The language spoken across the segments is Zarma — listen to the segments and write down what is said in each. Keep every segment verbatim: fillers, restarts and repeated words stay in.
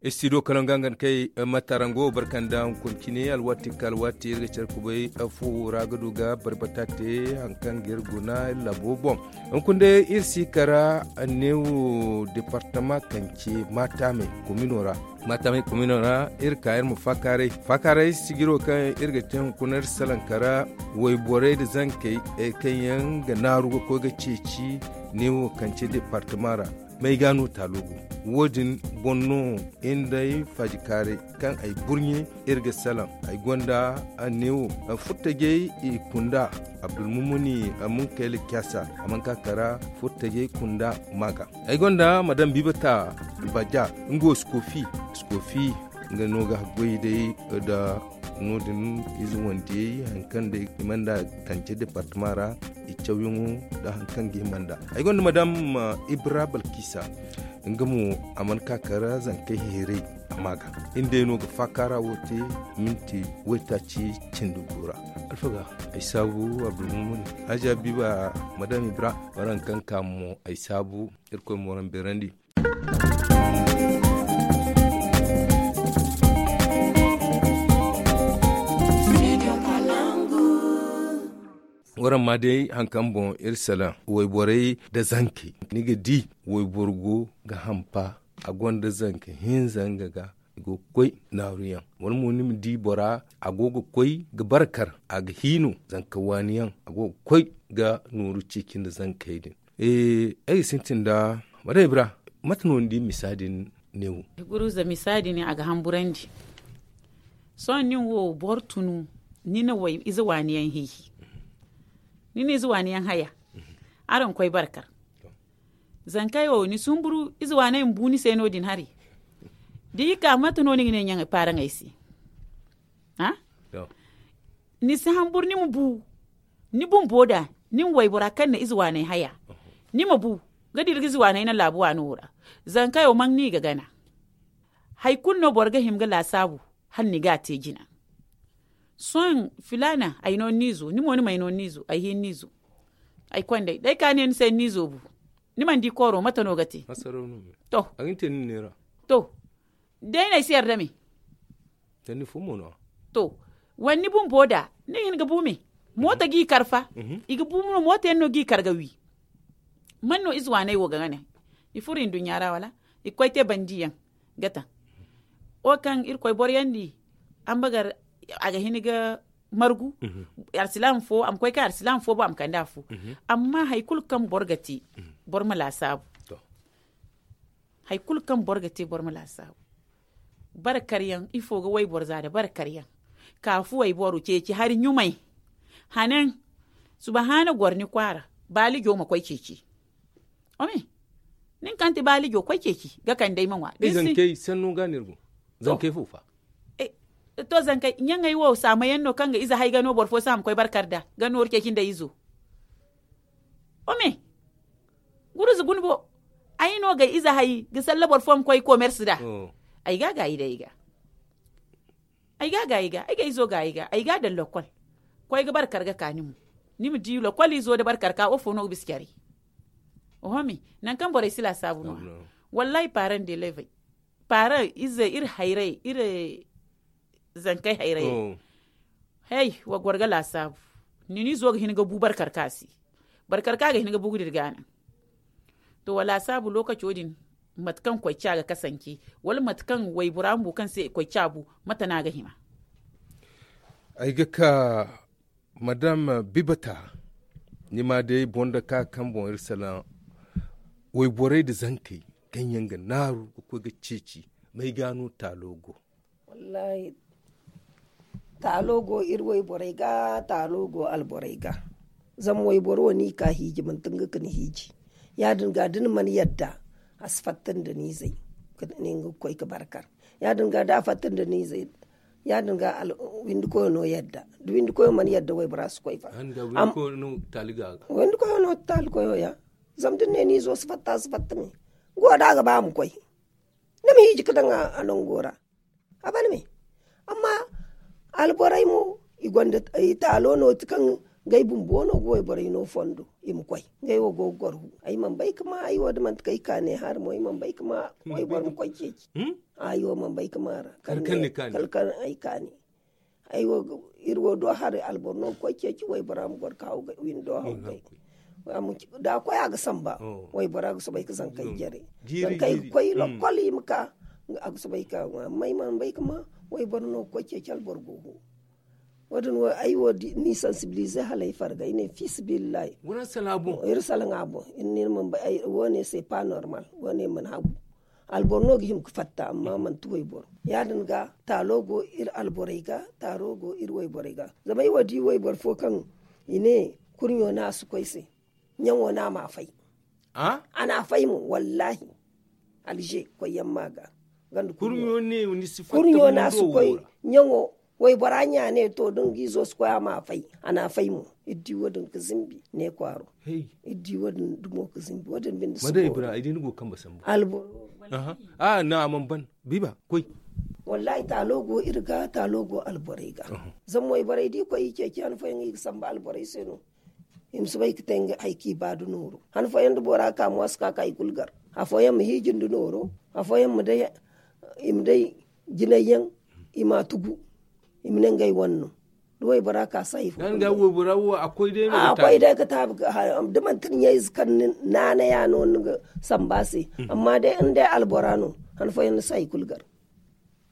Studio kalaŋ ga hangan kay, mataraŋ go barkanda hunkuna cine alwaati ka alwaati iri ga care kubay, fu ra ga du ga barbata te hari kaŋ ga iri guna iri labo boŋ. Hunkuna day iri si kara neewo departama kaŋ ce maataamey komino ra. Maataamey komino ra iri ka iri ma faakaaray faakaaray sijiro kaŋ iri ga te hunkuna iri salaŋ kara wayborey nda zankey kaŋ yaŋ ga naaru ga koy ga ceeci neewo kaŋ ce departama ra. May ga no taalo go? Wo- din boŋ no iri nda ay faajikaaray kaŋ ay burɲe iri ga salaŋ. Ay gonda a neewo furtajey i kunda abdulmumuni munkayla caasa a mana ka kara furtajey kunda maaga. Ay gonda madam bibata baja nga wo sikofi sikofi nga no ga haggoy day nda no- din ize wandiyey hari kaŋ day i mana nda kance departama ra i cawyaŋo nda hari kaŋ ga hima nda ay gonda madam ibra balkisa. Nga mo a mana ka kara zankey heeray a ma ga iri day no ga faakaara wo te minti waytaaci cindi gu ra. Alfaga ay saabu abdulmumuni haja biba madam ibra waraŋ kaŋ ka mo ay saabu. Irkoy ma waraŋ beerandi. Waraŋ ma day hari kaŋ boŋ iri salaŋ wayborey nda zankey ni ga di wayboro go ga hampa a gonda zanka hinza nga ga i go ga koy naaru yaŋ wala mo ni ma di bora a go ga koy ga barkar a ga hiino zanka waani yaŋ a go ga koy ga nooru ceeci nda zankey din. Ay ga sintin nda madam ibra mate no ni di misa din? Neewo guruza misa din a ga hamburandi. Sohõ nin wo boro tunu ni na ize waani yaŋ hiihi ni na ize waani yaŋ haya. Araŋ koy barkar zankey wo ni sumburu ize waaney ma bu ni se no- din hari. Da i ka mate no ni ga ne ɲaŋey paaraŋey se? Ni si hamburu ni ma bu ni bumbo da ni ma waybora kaŋ na ize waaney haya. Ni ma bu ga dira ga ize waaney na laabu waano ra. Zankey wo mana no i ga gana. Hari kulu no boro ga hima ga laasaabu hala ni ga a te jina. Sohõ filaana ay no ni n'izo ni mo ni m'ay no ni n'izo ay hin n'izo. Ay konday da ay ka ne ni se ni n'izo bu ni mana di kooro mate no ga te? To. Day no ay si yarda me. To wala ni bumbo da ni ga hin ga bu me. Mooto g'i kar fa. I ga bu no mooto yaŋ no g'i kar ga wi. Man no ize waaney wo ga gana i furo i nduɲɲa ra wala i ga koy te bandi yaŋ ga taŋ. Wo kaŋ irkoy boro yaŋ di ambagar a ga hin ga margu. Arsilaama fo a ma koy kaŋ arsilaama fo bo a ma kande afo. Amma hari kulu kaŋ boro ga te boro ma laasaabu. Hari kulu kaŋ boro ga te boro ma laasaabu. Barkar yaŋ ifo ga wayboro za nda barkar yaŋ. Kaafu wayboro ceeci hari ɲumay. Hanan subahaana goro ni kwaara baalijo ma koy ceeci. Nin kaŋ ti baalijo koy ceeci ga kande ay ma ŋwa. Zankey sanno ga no iri go. Zankey fo fa? To zankey ɲaŋey wo saama yaŋ no kaŋ ga ize hay ga no boro fo si a ma koy barkar da ga nooru ceeci nda izo. Ome guruze guna bo. Ay no ga ize hay ga salla boro fo ma koy komersi da. Ay ga gaayi day ay ga ay ga gaayi ga ay ga izo gaayi ga ay ga a daŋ lokol. Koy ga barkar ga ka ni mo ni ma di lokol izo nda barkar ka wo fo no ga bisa care. Oho me nangu kaŋ borey si laasaabu no-ya. Wallahi paaraŋ de levey paaraŋ ize iri hayray iri zankey hayray. Hey wa goro ga laasaabu. Ni n'izo ga hin ga bu barkar ka se barkar ka ga hin ga bu ga dira ga naŋ. To wa laasaabu lookaco din mate kaŋ koy ca ga kasance wala mate kaŋ waybora bumbo kaŋ se koy ca bu mate no a ga hima? Ay ga ka madam bibata. Ni ma day boŋ da ka kaŋ boŋ iri salaŋ wayborey nda zankey kaŋ yaŋ ga naaru ga koy ga ceeci may ga no taalo go? Wallahi taalo go iri wayborey ga taalo go alborey ga. Zama wayboro wo no i ka hiiji manti nga ga ni hiiji. Ya- din ga da ni mana yadda a si fatta nda ni izey ga ne nga ga koy ga barkar. Ya- din ga da a fatta nda ni izey ya- din ga windi koyo no yadda da windi koyo mana yadda waybora si koy fa. Windi koyo no taali koyo ya. Zama da ni ne ni izo si fatta a si fatta me. Nga wo da a ga ba a ma koy ni ma hiiji ga daŋ a nango ra. A ban me amma alborey mo i gonda taalo no ti kaŋ Ngey bumbo no ga wayborey no fondo i ma koy. Ngey wo go ga goro fu ay mana bay ga ma ay wo da manti kaŋ ay ka ne hari mo ay mana bay ga ma wayboro ma koy ceeci. Ay wo mana bay ga ma ra kala kaŋ ay ka ne. Ay wo iri wo do hari alboro no ga koy ceeci waybora ma goro ga haw windo haw gay. Da a koy a ga samba waybora ga soobay ga zankey jare. Zankey ga koy lokol i ma ka a ga soobay ga ka ŋwa amma ay mana bay ga ma wayboro no ga koy ceeci alboro go go. Wo- din wo ay wo ni sansibilize hala ay farga ay ne fiisabilillahi. Iri salaŋ a boŋ iri ne ma bay wo- ne se pa normal wo- ne mana hagu. Alboro no ga hima ga fatta amma manti wayboro. Ya- din ga taalo go iri alborey ga taalo go iri wayborey ga. Zama ay wo di wayboro fo kaŋ i ne kurɲo no a si koy se. Ɲaŋo no a ma fay. A na fay mo wallahi. Alže koyyaŋ ma ga ganda kurɲo no a si koy. Ɲaŋo waybora ɲa ne to da nga izo si koy a ma fay. A na fay mo. Iri di wo- din ga zimbi ne kwaaro. Iri di wo- din dumo ga zimbi wo- din binde si koy. Alboro a na a mana ban biba koy. Wallahi taalo go iri ga taalo go alborey ga. Zama wayborey da i koy i ceeci han fooyaŋ i ga samba alborey se no. I ma si bay ga te nga hari kaŋ i ba da nooru han fooyaŋ da bora ka mo a si ka ka i kulu gar. Afooyaŋ ma hiiji nda nooro. Afooyaŋ ma day i ma day jinay yaŋ. I ma a tugu i ma ne ngey wane no. Da waybora ka saayi fo a koy day ga taabi. Da manti ni ɲayze kaŋ ni naanaya no ni ga samba se. Amma day ni day albora no han fooyaŋ ni si hari kulu gar.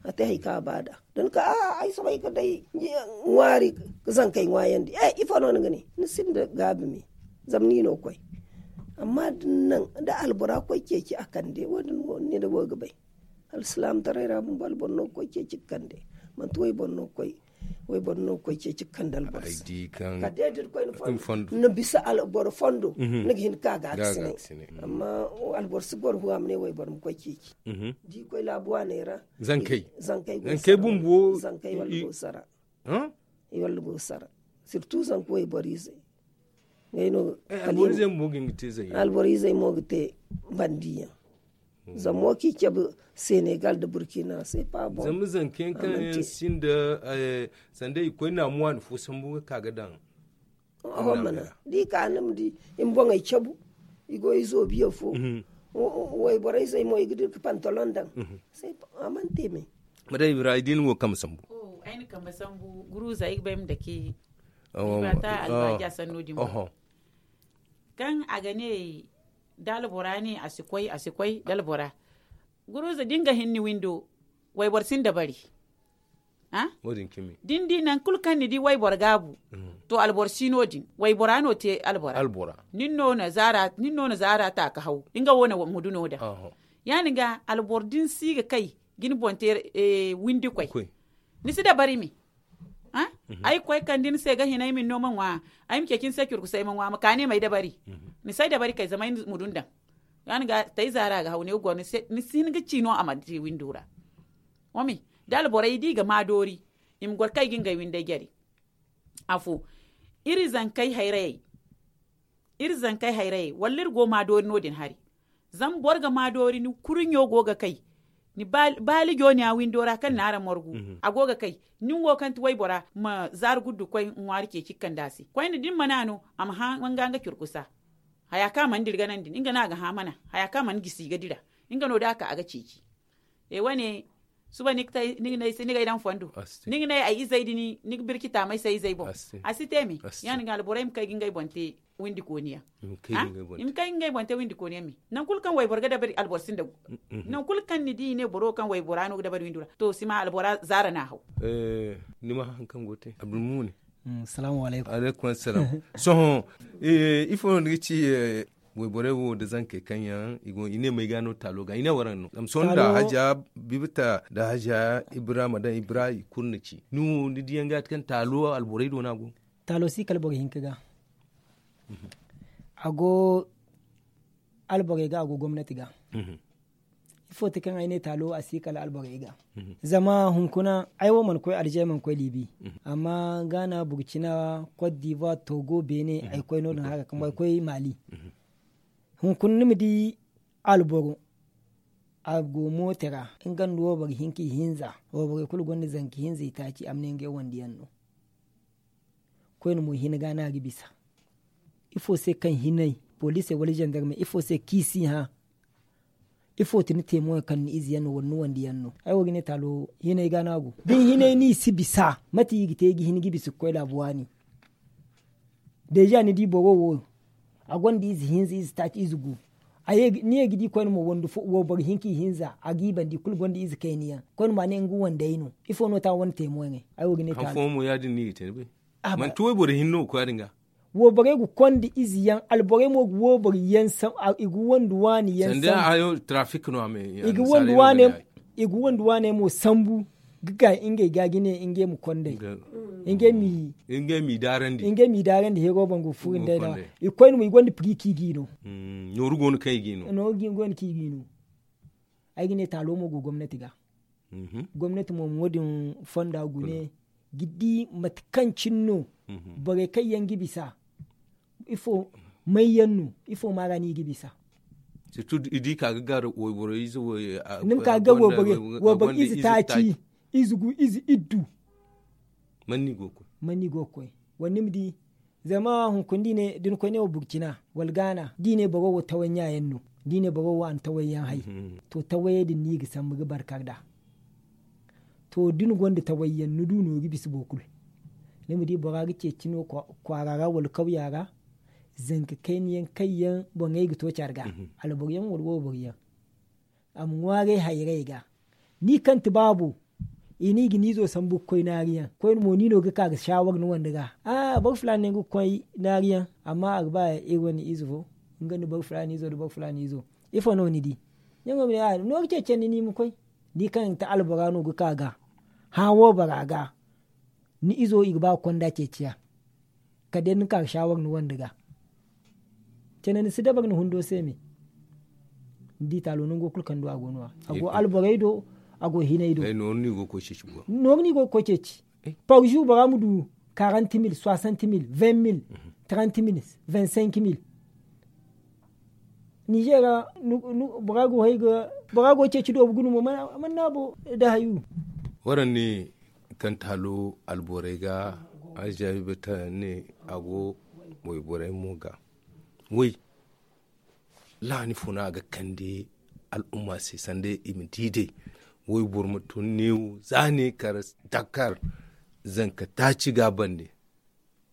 A te hari kaŋ a ba nd'a da ni ka ay soobay ga day ŋwaari ga zankey ŋwaayandi. Ifo no ni ga ne ni sinda gaabi me. Zama ni no koy. Amma da ni naŋ da albora koy ceeci a kande wo- din wo ni da go ga bay. Alsilaamataray ra bumbo alboro no ga koy ceeci ga kande. Manti wayboro no ga koy wayboro no ga koy ceeci ga kande alboro se. Kala day da ni koy ni fondo ni bisa alboro fondo ni ga hin ga ka ga a ga sine. Amma alboro si goro fu a ma ne wayboro ma koy ceeci. Da i koy laabu waaney ra zankey zankey bumbo zankey walla go sara. I walla go sara sirtu zanka wayboro izey. Ngey no alboro izey mo ga te bandiyaŋ. Zama wo kaŋ i cabe senegal nda burkina se pa boŋ. Zama zanka yaŋ kaŋ yaŋ sinda sanda i koy naamu waani fo sambu ga ka ga daŋ. Oho mana da i ka ni ma di i ma boŋey cabu. I go i zoobiyo fo. Wayborey zey mo i ga dira ga pantalon daŋ. A mana te me. Madai ibrahim da ni go kambe sambu. Ay na kambe sambu guruza i ga bay ma dake. Ba ta albaaja sanno din boŋ. Kaŋ a ga ne da albora ne a si koy a si koy da albora. Guruza da ni ga hin ni windo wayboro si ni dabari. Da ni di nangu kulu kaŋ ni di wayboro gaabu. To alboro si no- din waybora no te albora. Nin no na zaara ta ga haw nga wo na mudu no daŋ. Ya- din ga alboro da ni si ga kay ga ni boŋ te windi koy. Ni si dabari me. Ay ga koy kande ni se ga hina ay ma ni no ma ŋwa. Ay ma ceeci ni se curkusay ma ŋwa ma ka ne ma ay dabari. Ni si ay dabari kay zama ay na mudu ni daŋ. Ya- din ga tay zaara ga haw ne ga goro ni si hin ga ci no a ma te windo ra. Wami da alborey da i ga ma doori i ma goro kay ga ngey windey jare. Afo iri zankey hayrayey iri zankey hayrayey walla iri go ma doori no- din hari. Zama boro ga ma doori ni kurɲo go ga kay ni baalijo ne a windo ra kaŋ ni araŋ margu. A go ga kay nin wo kaŋ ti waybora ma zaari guddu koy ŋwaari ceeci ga kande a se koyne da ni mana no a ma hã nga nga curkusa. Haya kaŋ a mana dirganandi nga no a ga hã mana haya kaŋ a mana gisi ga dira. Nga no da a ka a ga ceeci. E wane suba ni ga ne ay se ni ga ay daŋ fondo ni ga ne ay izey din ni ga birci taamay se izey boŋ. A si te me. Ya- din ga alborey ma kay ga ngey boŋ te windi kooniyaŋ. I ma kay ga ngey boŋ te windi kooniyaŋ me. Nangu kulu kaŋ wayboro ga dabari alboro sinda gu. Nangu kulu kaŋ ni di i ne boro kaŋ waybora no ga dabari windi ra to si ma albora zaara no a haw. Ni ma haŋ kaŋ go te abdulmumuni. Salaamu alaykum. Alaykum assalam. Sohõ ifo no ni ga ci? Wayborey wo nda zankey kaŋ yaŋ i go i ne may ga no taalo ga i ne waraŋ no zama sohõ nda haja bibita nda haja ibra ma daŋ ibra i kulu na ci ni wo ni diyaŋ ga ti kaŋ taalo alborey do no a go. Taalo si kala boro hinka ga. A go alborey ga a go gomnati ga. Ifo ti kaŋ ay ne taalo a si kala alborey ga. Zama hunkuna ay wo mana koy alje ay mana koy libi. Amma gaana burcina kot divoir togo beene ay koy no- din haka kambe ay koy mali. Hunkuna ni ma di alboro a go moote ra nga nda wayboro hinka i hinza. Wayborey kulu gonda zanka hinza i taaci a ma ne ngey wande yaŋ no. Koyne mo hina ga no a ga bisa. Ifo se kaŋ hinay poliisey wala zandarmey ifo se kaŋ i si hã? Ifo ti ni te mo yaŋ kaŋ ni ize yaŋ no wala ni wande yaŋ no? Ay wo ga ne taalo hinay ga no a go da ni hinay no i si bisa mate i ga te i ga hin ga bisa ga koy laabu waani. Deeza ni di boro wo a gonda ize hinza ize taaci ize gu. Ni ye ga di koyne mo wande fo wo boro hinka i hinza a ga i banda i kulu gonda ize kayna yaŋ. Koyne mo a ne nga wandey no. Ifo no ti a wane te mo yaŋey? Ay wo ga ne taalo. Manti wayboro hinne no ga koy ya- din ga. Wayborey ga konda ize yaŋ alborey mo ga wayboro yaŋ i ga wande waani yaŋ sambu. I ga wande waaney mo sambu ga ka ngey ga ga ne ngey ma konda ay. Ngey m'i daarandi hero bangu furindey da. I koyne mo i gonda piri kaŋ i g'i no. Nooru go no kaŋ i g'i no. Nooru go no kaŋ i g'i no. Ay ga ne taalo mo go gomnati ga. Gomnati mo ma wo- din fonda gune ga di mate kaŋ cine no borey kaŋ yaŋ ga bisa. Ifo may yaŋ no? Ifo maara no i ga bisa? Surtout i di ka ga gar wayboro ize wo. Ni ma ka ga gar wayboro ize taaci ize gu ize iddu. Man no i go ga koy? Wala ni ma di zama hunkuna da i ne da ni koy ne wo burcina wala gaana da i ne boro wo taway ɲa yaŋ no da i ne boro wo a na taway yaŋ hay. To tawayey din no i ga sambu ga barkar nd'a. To da ni gonda taway yaŋ ni du no ga bisa boro kulu. Ni ma di bora ga ceeci no kwaara ra wala kawya ra. Zanka kayna yaŋ kaŋ yaŋ boŋey ga to care ga alboro yaŋ wala wayboro yaŋ. A ma ŋwaaray hayrey ga. Ni kaŋ ti baabo i ne i ga ni izo sambu ga koy naari yaŋ koyne mo ni no ga ka ga saawar ni wande ga. Boro filaana yaŋ ga koy naari yaŋ amma a ga ba iri wane ize fo. Nga nda boro filaana izo nda boro filaana izo. Ifo no ni di? Ɲaŋo ma ne a no ga ceeci yaŋ ni ne i ma koy. Ni kaŋ ti albora no ga ka ga hã wo bora ga. Ni izo i ga ba ga konda ceeci ya. Kala day ni ka ga saawar ni wande ga. Cene ni si dabari ni hundo se me. Ni di taalo nango kulu kaŋ do a go no- ya a go alborey do. A go hinay do. Nooru no i go ga koy ceeci. Par jour bora ma du quarante mille soixante mille vingt mille trente mille vingt cinq mille. Nizer ra bora go ga hay ga bora go ga ceeci doobu guna mo mana naabo. Da hayu. Waraŋ ne kaŋ taalo alborey ga. Arziyaabi bata ne a go wayborey mo ga. Way laani fo no a ga kande al'umma se sanda i ma di day? Wayboro ma tun neewo za ne kar dakar zanka taaci ga a bande.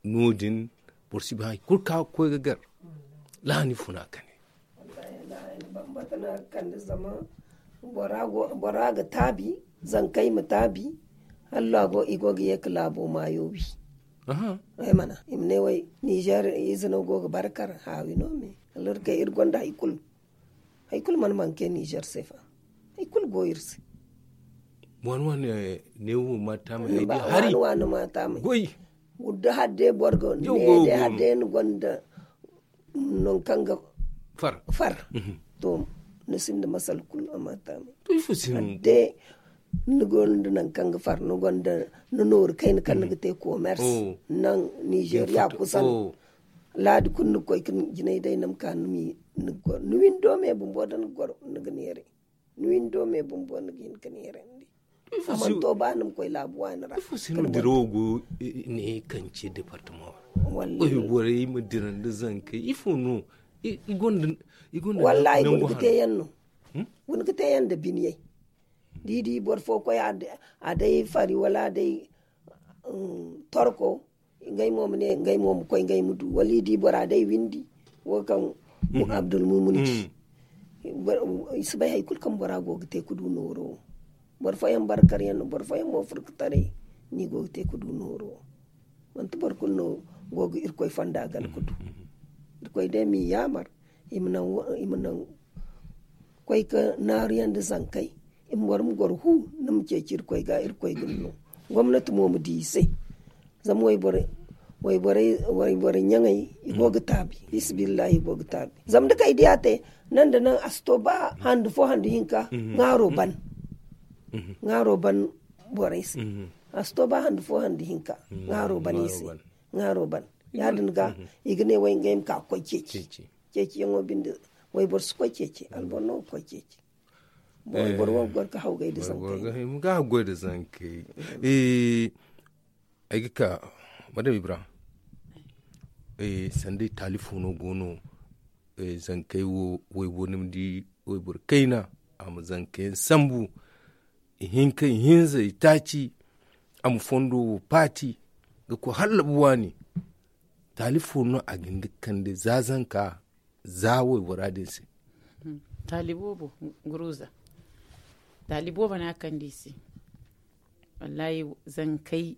No- din boro si bay hari kulu kaŋ a ga koy ga gar. Laani funa kane. Bambata no a ga kande zama bora ga taabi zankey ma taabi. Hala i go ga ye ga laabo maayo wi. Ay mana i ma ne way nizer ize no go ga barkar haawi no me. Hala iri kay iri gonda hari kulu. Hari kulu mana manke nizer se fa. Hari kulu go iri se. Waani waani neewo ma taamay hari waani waani ma taamay. Goy. Wudda hadde boro ga ne day hadde ni gonda nangu kaŋ ga far. To ni sinda masal kulu a ma taamay. Hadde ni gonda nangu kaŋ ga far ni gonda ni nooru kayna kaŋ ni ga te commerce. Naŋ nizeeriya kusa no. Laadi kulu ni ga koy ga jinay day ni ma ka ni windo me bumbo da ni ga goro ni ga neeray. Ni windo me bumbo ni ga hin ga neerandi. A mana to ba ni ma koy laabu waani ra. Dirawo go ne kaŋ ce departement ra borey ma dira nda zankey ifo no? I gonda wallahi guna ga te yaŋ no. Guna ga te yaŋ nda biniyey. Da i di boro fo koy a day fari wala a day torko. Ngey mo ma ne ngey mo ma koy ngey ma du wala i di bora day windi wo kaŋ abdulmumuni ci. I si bay hari kulu kaŋ bora go ga te ga du nooro wo. Boro fooyaŋ barkar yaŋ no boro fooyaŋ mo furkutaray no i go ga te ga du nooro wo. Manti boro kulu no go ga irkoy fonda gana ga du. Irkoy day m'i yaamar i ma naŋ koy ga naaru yaŋ nda zankey. I ma boro ma goro hu ni ma ceeci irkoy ga irkoy ga ni no. Gomnati mo ma di i se. Zama wayborey ɲaŋey i go ga taabi. Fisibillahi i go ga taabi zama da kay diya te. Naŋ da naŋ a si to ba handu fo handu hinka ŋaaro ban. Ŋaaro ban borey se. A si to ba handu fo handu hinka ŋaaro ban i se. Ŋaaro ban ya- din ga i ga ne way ngey ma ka ga koy ceeci. Ceeciyaŋo binde wayboro si koy ceeci alboro no ga koy ceeci. Wayboro wo ga goro ga hawgay da zankey. Ay ga ka madam ibra. Sanday taali fo no go no. Zankey wo wayboro ni ma di wayboro kayna a ma zanka yaŋ sambu. Ihinka ihinza itaaci a ma fondo wo paati ga koy hala labu waani. Taali fo no a ga hin ga kande za zanka za waybora din se. Taali boobo guruza taali boobo no a kande i se. Wallaahi zankey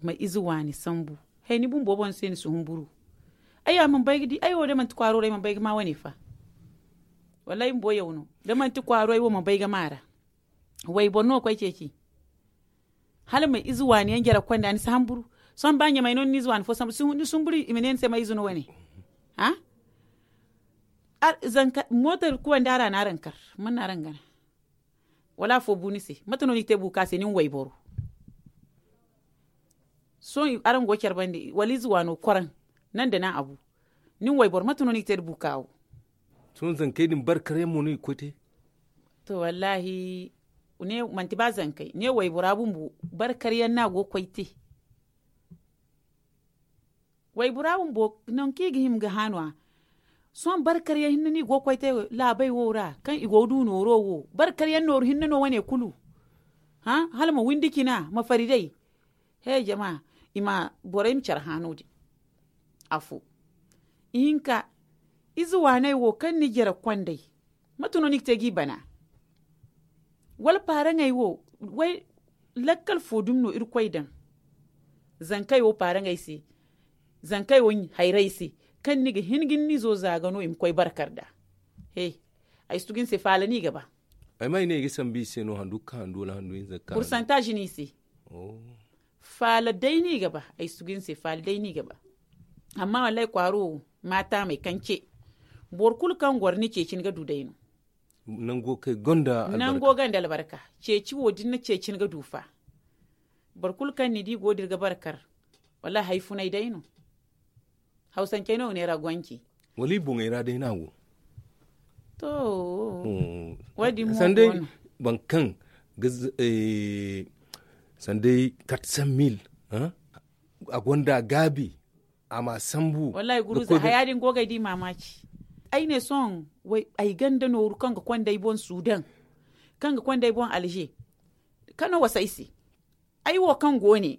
ma ize waani sambu. Hay ni bumbo boŋ se ni si humburu. Ay a mana bay ga di ay wo da manti kwaaro ra ay mana bay ga ma wane fa. Wallaahi bumbo yaw no da manti kwaaro ay wo mana bay ga ma ra. Wayboro no ga koy ceeci. Hala ma ize waani yaŋ jare ga konda ni si hamburu. Sohõ ba ɲamay no ni na ize waani fo sambu ni si humburu i ma ne ni se ma ize no wane. Mooto kuwandi araŋ na araŋ kar mana araŋ gana. Wala afo bu ni se mate no ni ga te buuka se nin wayboro? Sohõ araŋ go care bande wala ize waano koraŋ naŋ da naŋ a bu. Nin wayboro mate no ni ga te nda buuka wo? Sohõ zankey din barkar yaŋ mo no i ga koy te. To wallaahi manti ba zankey ne waybora bumbo barkar yaŋ no a go ga koy te. Waybora bumbo nangu kaŋ i ga hima ga hã no- ya. Sohõ barkar yaŋ hinne no i go ga koy te laabey wo ra kaŋ i go ga du nooro wo barkar yaŋ nooru hinne no wane kulu. Hala ma windi cina ma fari day. He jama i ma borey ma care hã no- din. Afo ihinka ize waaney wo kaŋ ni jare ga konday mate no ni ga te ga i bana? Wala paaraŋey wo way lakkal fo dumi no irkoy daŋ? Zankey wo paaraŋey se zankey wo hayrey se kaŋ ni ga hin ga ni n'izo zaaga no i ma koy barkar nd'a. He ay si tugu ni se faala no i ga ba. Ay ma ay ne ay ga sambu i se no handu ga ka handu wala handu hinza ga ka handu. Pursantaazi no i se. Faala day no i ga ba. Ay si tugu ni se faala day no i ga ba. Amma wallaahi kwaaro wo maataamey kaŋ ce boro kulu kaŋ goro ni ceeci ni ga du day no. Nango kaŋ ay gonda albarka nango gonda albarka. Ceeci wo da ni na ceeci ni ga du fa. Boro kulu kaŋ ni di go da iri ga barkar wallaahi hari funay day no. Hawsancey no ga neera gonci. Wala i boŋey ra day no a go. To wo- din mo sanday boro kaŋ ga sanday quatre cent mille a gonda gaabi a ma sambu. Wallaahi guruza haya din go ga ay di maamaaci. Ay ne sohõ ay ganda nooru kaŋ ga konda ay boŋ sudan kaŋ ga konda ay boŋ alze. Kano wasa ay se. Ay wo kaŋ go ne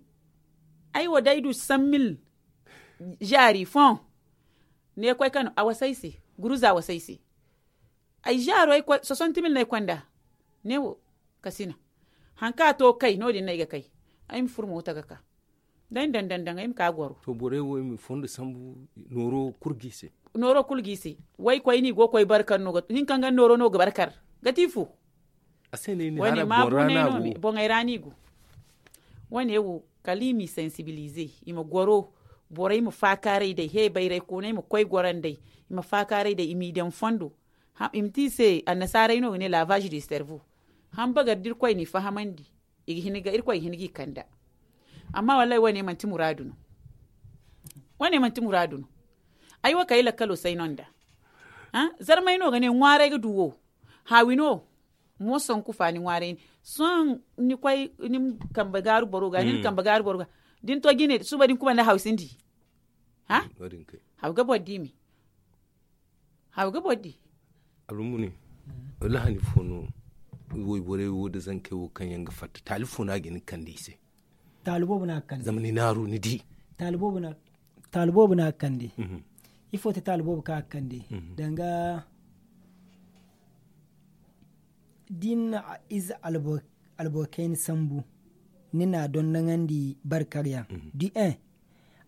ay wo day du san mil zaari fo. Ne koy kano a wasa ay se. Guruza wasa ay se. Ay zaaro ay koy soixante mil no ay konda. Ne wo kasina. Hari kaŋ a to kay no- din no ay ga kay. Ay ma furo mooto ga ka. Day dandandaŋ ay ma ka goro. To borey wo i ma fondo sambu nooro kulu ga i se. Nooro kulu ga i se. Waykoy no i go ga koy barkar no ga hin kaŋ ga nooro no ga barkar ga ti fu. A se no ay ne hala boŋ ra no a go. Boŋey ra no i go. Wane wo kala i m'i sensibilize i ma goro. Borey ma faakaaray day he bayray koonay ma koy goro nd'ey. I ma faakaaray day i m'i daŋ fondo. I ma te i se annasaaray no ga ne lavage de cerveau. Hambagar da irkoy n'i fahamandi. I ga hin ga irkoy ga hin g'i kanda. Amma wallaahi wane manti muraadu no. Wane manti muraadu no. Ay wo kay lakkalo say no nda. Zarmay no ga ne ŋwaaray ga du wo. Haawi no. Mo sanku fa ni ŋwaaray ni sohõ ni koy ni ma kambe gaaru boro ga ni ma kambe gaaru boro ga. Da ni to jine suba din kuma nda hawsindi. Hau ga boro di me. Hau ga boro di. Alumuni. Lahani fo no. Wayborey wo da zankey wo kaŋ yaŋ ga fatta taali fo no a ga hin ga kande i se. Taali boobo no a ga kande zama ni naaru ni di. Taali boobo no a ga kande. Ifo te taali boobo kaŋ a ga kande? Danga da ni na ize alboro kayna sambu ni na a dondoŋandi barkaryaŋ. Di en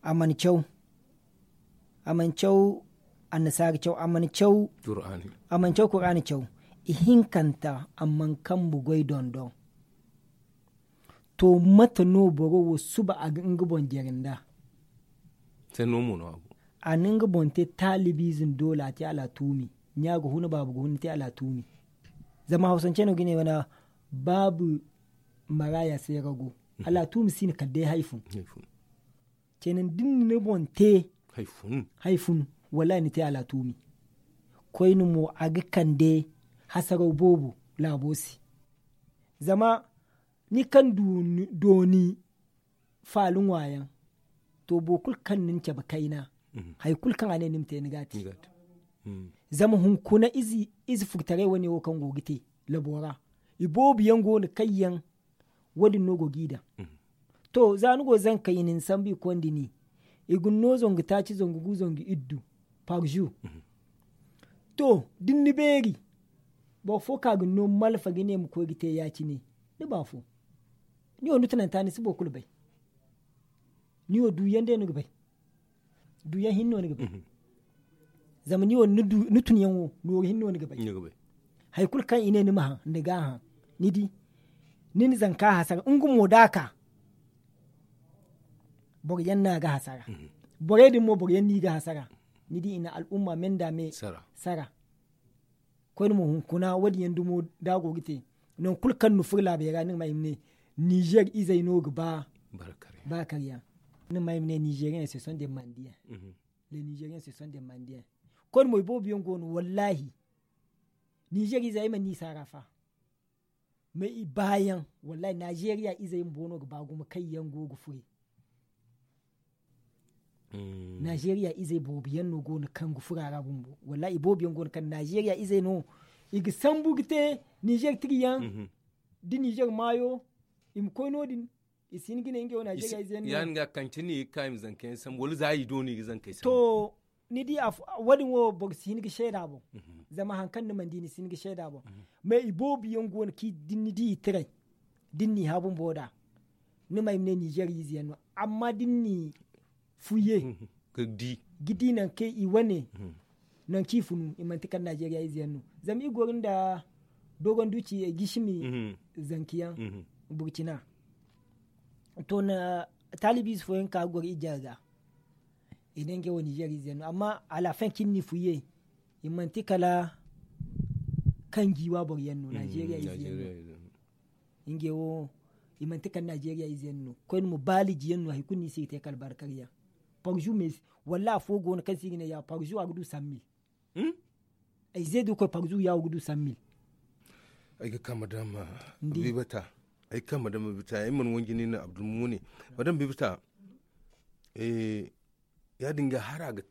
a mana caw. A mana caw annasaara caw a mana caw. A mana caw kuraana caw. Ihinkanta a mana kambu goy dondon. To mate no boro wo suba a ga nga boŋ jare nda? A na nga boŋ te taalibiize nda doole a te alatuumi. Ɲa ga huna baaba ga huna te alatuumi. Zama hawsancey no ga ne wane baabu maraya se rago. Alatuumi si na kala day hay fun. Ceenandi ni na boŋ te hay fun wallaahi ni te alatuumi. Koyne mo a ga kande hasaraw boobo laabo se. Zama ni kaŋ du dooni faali ŋwaayaŋ to boro kulu kaŋ na ni cabe kayna Hari kulu kaŋ a ne ni ma te ni ga a te. Zama hunkuna ize furtaray wane wo kaŋ go ga te labo ra, iboobo yaŋ go no kaŋ yaŋ wo- din no go g'i daŋ. To za ni go zankey i na ni sambu i konda ni, i ga ni no zangu taaci zangu gu zangu iddu, par jour. To da ni na beeri, boro fo ka ga ni no malfa ga ne ma koy ga te ya- cine, ni ba fo. Ni wo ni tunanta ni si boro kulu bay. Ni wo duuyaŋ day ni ga bay. Duuyaŋ hinne no ni ga bay. Zama ni wo ni tunyaŋo nooru hinne no ni ga bay. Hari kulu kaŋ i ne ni ma haŋ ni ga a haŋ. Ni di, ni na zanka hasara nga mo da a ka. Boro yaŋ no a ga hasara. Borey din mo boro yaŋ no i ga hasara. Ni di i na al'umma me nda me sara. Koyne mo hunkuna wo- din yaŋ dumo da a go ga te. Nangu kulu kaŋ ni furo laabey ra ni ga ma i ma ne nizeer izey no ga ba ba karyaŋ. Ni ga ma i ma ne nizeeriyaŋ se son de mandiyaŋ. Le nizeeriyaŋ se son de mandiyaŋ. Koyne mo iboobo yaŋ go no wallaahi. Nizeer izey ay mana ni saara fa. Mais i baayaŋ wallaahi nazeeriya izey bumbo no ga ba gumo kaŋ yaŋ go ga fure. Nazeeriya izey boobo yaŋ no go no kaŋ ga furo a ra bumbo wallaahi iboobo yaŋ go no kaŋ nazeeriya izey no. I ga sambu ga te nizeer tiriyaŋ da nizeer maayo. I ma koy no- din i si hin ga ne ngey wo nazeeriya izey yaŋ no. Ya- din ga kance no i ga ka i ma zanka yaŋ sambu wala za i do no i ga zanka yaŋ sambu. To ni di wo- din wo boro si hin ga seeda boŋ. Zama hari kaŋ ni mana di ni si hin ga seeda boŋ. Mais iboobo yaŋ go no kaŋ da ni di i tiray da ni n'i hã bumbo da ni ma ay ma ne nizeeriya ize yaŋ no. Amma da ni n'i fuye ga di nangu kaŋ i wane nangu kaŋ i funu i manti kala nazeeriya ize yaŋ no. Zama i goro nda dogon duci ay gisimi zanki yaŋ burcina. To taalibi ize fooyaŋ ka ga goro i jare ga i ne ngey wo nizeeriya ize yaŋ no amma alafen kaŋ i na ni fuye i manti kala kaŋ giiwa boro yaŋ no nazeeriya ize yaŋ no. Ngey wo i manti kala nazeeriya ize yaŋ no koyne mo baaliji yaŋ no hari kulu no i si ga te kala barkar yaŋ. Parzu mais wallaahi afo go no kaŋ se i ga ne ya parzu a ga du sammil. Ay zeedu koy parzu ya wo ga du sammil. Ay ga ka madama bibata ay ga ka madama bibata ay mana wanji ni na abdulmumuni madama bibata. Ya- din ga har a ga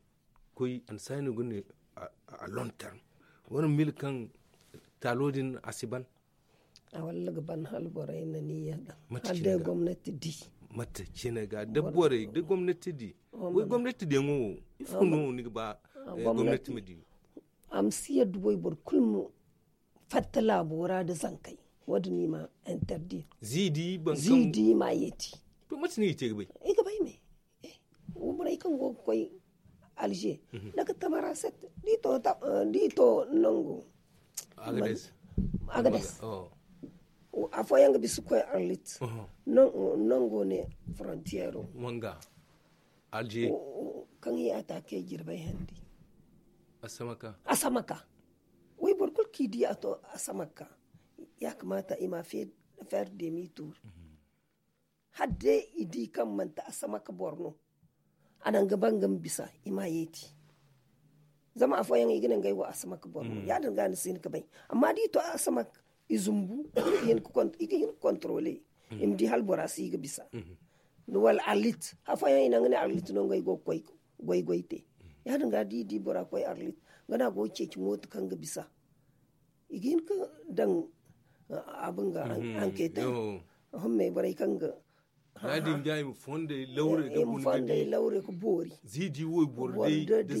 koy ansaani ga ne a long term. Wane mil kaŋ taalo din a si ban. A walla ga ban hala borey na niyya daŋ hala day gomnati di. Mate cine ga da borey da gomnati di. Way gomnati deŋo wo ifo no ni ga ba gomnati ma di? A ma si yadda way boro kulu ma fatta laabo ra nda zankey. Wo- din i ma interdir zidi ma yeeti. To mate no i te ga bay? I ga bay me. Wo borey kaŋ go ga koy alger daga tamaraset da i to nango agades. Afooyaŋ ga bisa koy arlit nango ne frontiero wanga alger. Kaŋ i attaquer jirbay handi asamaka. Way boro kulu kaŋ i di a to asamaka ya kamata i ma faire demi tour. Hala day i di kaŋ manti asamaka boro no a naŋ ga ba nga ma bisa i ma yeeti. Zama afooyaŋ i ga ne ngey wo asamaka boro no ya- din ga ni si hin ga bay. Amma da i to asamaka i zumbu i ga hin ga controler i ma di hala bora si ga bisa. Wala arlit afooyaŋ i naŋ ga ne arlit no ngey go ga koy goy goy te. Ya- din ga da i di bora koy arlit nga no a go ga ceeci mooto kaŋ ga bisa. I ga hin ga daŋ abin ga ankete. Hommey borey kaŋ ga ya- din ga i ma fondey lawre ga boori. Zidi wo boro day da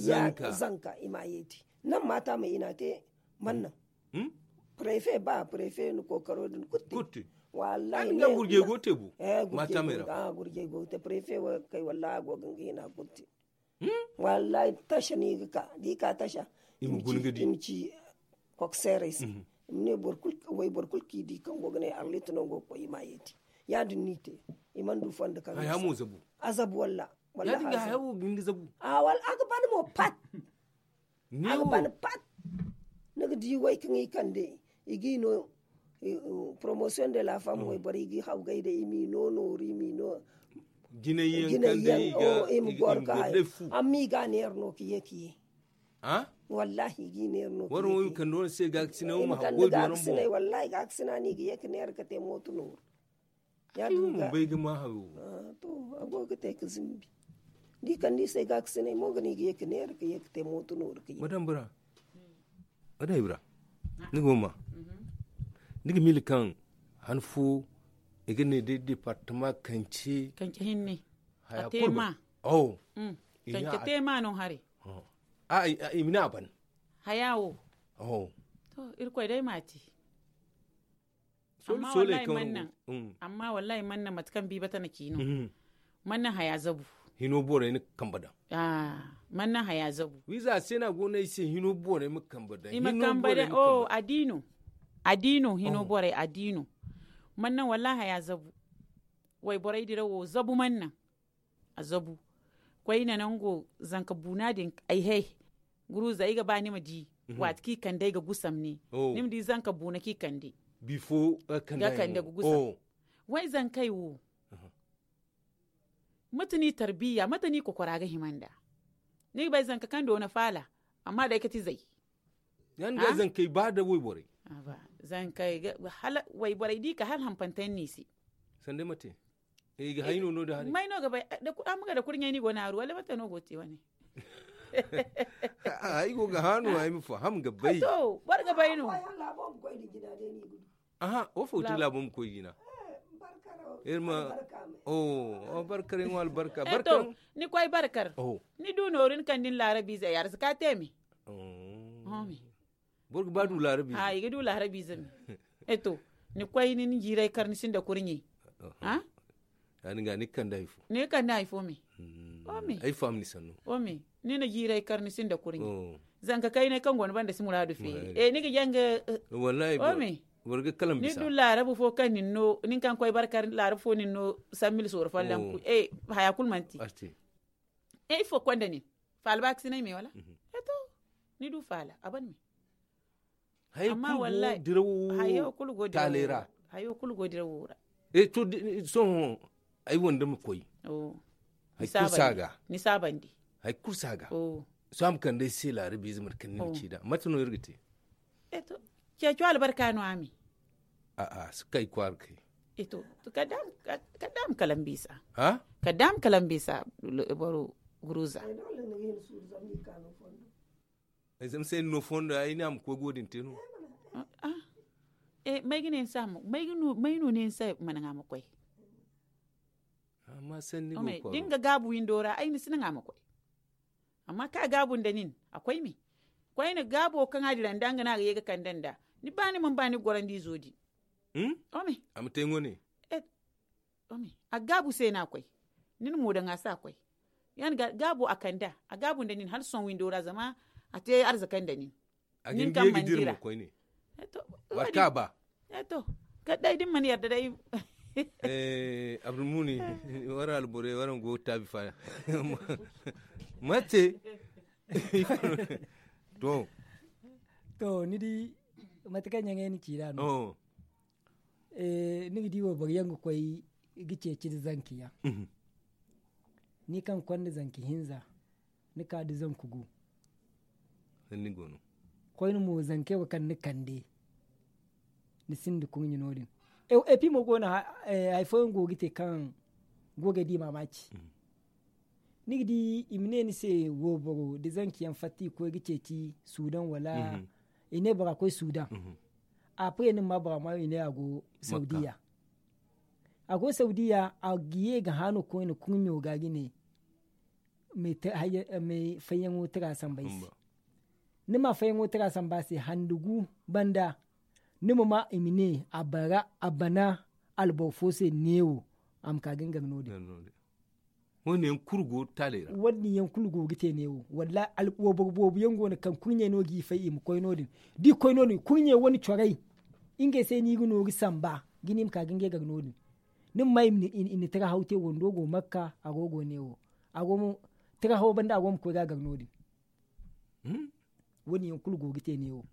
zanka i ma yeeti. Nan mata ma i na te man nan. Prefe ba prefe ni kookaro din kutti. Wallahi ne gurjey go te bu mata me ra. Gurjey go te prefe wo kay wallahi a go ga nga hina kutti. Wallahi tasha no i ga ka da i ka tasha i ma ci kokseerey se. I ma ne way boro kulu kaŋ i di kaŋ go ga ne arlit no go ga koy i ma yeeti. Ya- din no i te i mana du fondo kaŋ a zabu. Wallahi a zabu. A ga ban mo pat. A ga ban pat. Ni ga di way kaŋ i kande i ga i no promotion de la femme way boro i ga i hawgay da i m'i no nooru i m'i no jinay yaŋ i ma goro ka hay. Amma i ga a neera no ka ye ka ye. Wallahi i ga i neera no ka ye ka ye. Waro wo i ma kande wane se ga ga sinay wallahi ga ga sina no i ga ye ka neera ka te mooto nooru. Ya- din ga bay ga ma hayo. To a go ga te ka zimbi. da i kande i se ga ka sinay mo ga no i ga ye ka neera ka ye ka te mooto nooru ka ye. Madam bura madam ibra, ni go ma ni ga miila kaŋ han fo i ga ne day departama kance kance hinne a te ma. Kance te ma no hare. A i ma ne a ban haya wo. To irkoy day ma te. Amma wallahi mannan amma wallahi mannan mate kaŋ biiba tana ciino. Mannan haya zabu. Hino borey ni kamba daŋ. Mannan haya zabu. Wiiza a se no a go no ay se hino borey ma kamba daŋ. I ma kamba daŋ o a diino. A diino hino borey a diino. Mannan wallahi haya zabu. Wayborey dirawo zabu mannan. A zabu koyne nango zanka buuna din ay he. Guruza ay ga ba ni ma di waati kaŋ i kande ay ga gusam ne. Ni ma di zanka buuna kaŋ i kande bifo ga kande ga gusam. Way zankey wo mate no i tarbiya mate no i kokora ga hima nd'a? Ni ga bay zanka kaŋ doona faala amma day kati zay. Yaŋ ga zankey ba da wayborey. Zankey ga hala wayborey di ka hala hampante yaŋ no i se. Sanda mate i ga hayno no da hari may no ga bay. Amma ga da kurɲey no i go naaru wala mate no go te wane? Ay go ga hano ay ma faham ga bay. Boro ga bay no. Aha wo fo ti laabo ma koy jina. Iri ma o barkar yaŋ albarka barkar. Ni koy barkar. Ni du nooru ni kande ni laarabiize ay arza ka te me. Boro ga ba du laarabiize. I ga du laarabiize me. Eto ni koy ni na jiiray kar ni sinda kurɲe. Ya- din ga ni ga kande hari fo me. Ay faham ni sanno. Ni na jiiray kar ni sinda kurɲe. Zanka kaynay kaŋ go ni banda si muraadu feeri ni ga jaŋ ga. Wallahi boro ga kala ni bisa du laarabu fo kaŋ nin no nin kaŋ koy barkar laarabu fo nin no sammil sooro fallaŋ. Haya kulu manti. Ifo konda nin faala ba ga sinay me wala? Eto ni du faala a ban me. Amma wallahi hayo kulu go dirawo ra. Hayo kulu go dirawo ra. E to sohõ ay wanda ma koy. Hay kulu si a ga ni saabandi. Hay kulu si a ga. Sohõ a ma kande ay se laarabiize mate kaŋ ni ma ci nd'a mate no iri ga te? Ceeco albarka no a me. A'a si kay kwaara kay. Kala a ma kala ma bisa. Kala a ma kala ma bisa. Boro guruza. Ay zama se ni no fondo ay ne a ma koy go din te no. May ga ne ni se a ma may no ne ni se ma naŋ a ma koy. Amma sanni go kwaro da ni ga gaabu windo ra ay ni si naŋ a ma koy. Amma kaŋ a gaabu nda nin a koy me. Koyne gaabo kaŋ a dira nda nga no a ga ye ga kande nda ni ba ni mana ba ni ga gorandi izo din. Ome a ma te nga ne. A gaabu se no a koy. Ni na mo daŋ a se a koy. Gaabo a kande a gaabu nda nin hala sohõ windo ra zama a te arzaka nda nin. Nin kaŋ mana dira. Waati kaŋ a ba. Kala day da ni mana yarda day. Abdulmuni waraŋ alborey waraŋ go ga taabi faala. Mate? To. To ni di mate kaŋ yaŋ ay na ci nd'a no. Ni ga di wayboro yaŋ ga koy ga ceeci nda zanka yaŋ. Ni kaŋ konda zanka hinza ni ka nda zanka gu. Koyne mo zankey wo kaŋ ni kande ni sinda kurɲe no- din. Epi mo go no hari fooyaŋ go ga te kaŋ go ga ay di maamaaci. Ni ga di i ma ne ni se wayboro nda zanka yaŋ fatta i ga koy ga ceeci sudan wala i ne bora koy sudan. Après ni ma ma bora maayo i ne a go saudiya. A go saudiya a ga ye ga haano koyne kurɲo ga ga ne ma fayyaŋo tira samba ay se. Ni ma fayyaŋo tira samba a se hande gu banda ni ma ma i ma ne a bana alboro fo se neewo a ma ka ga nga no- din. Wo- din yaŋ kulu go ga te neewo wallahi wayboro boobo yaŋ go no kaŋ kurɲey no g'i fay i ma koy no- din. Da i koy no- din kurɲey wane corey ngey se no i ga nooru samba ga ne i ma ka ga ngey gar no- din. Ni ma ma i na tira haw te wando go makka a go go neewo a go mo tira haw banda a go ma koy ga gar no- din. Wo- din yaŋ kulu go ga te neewo.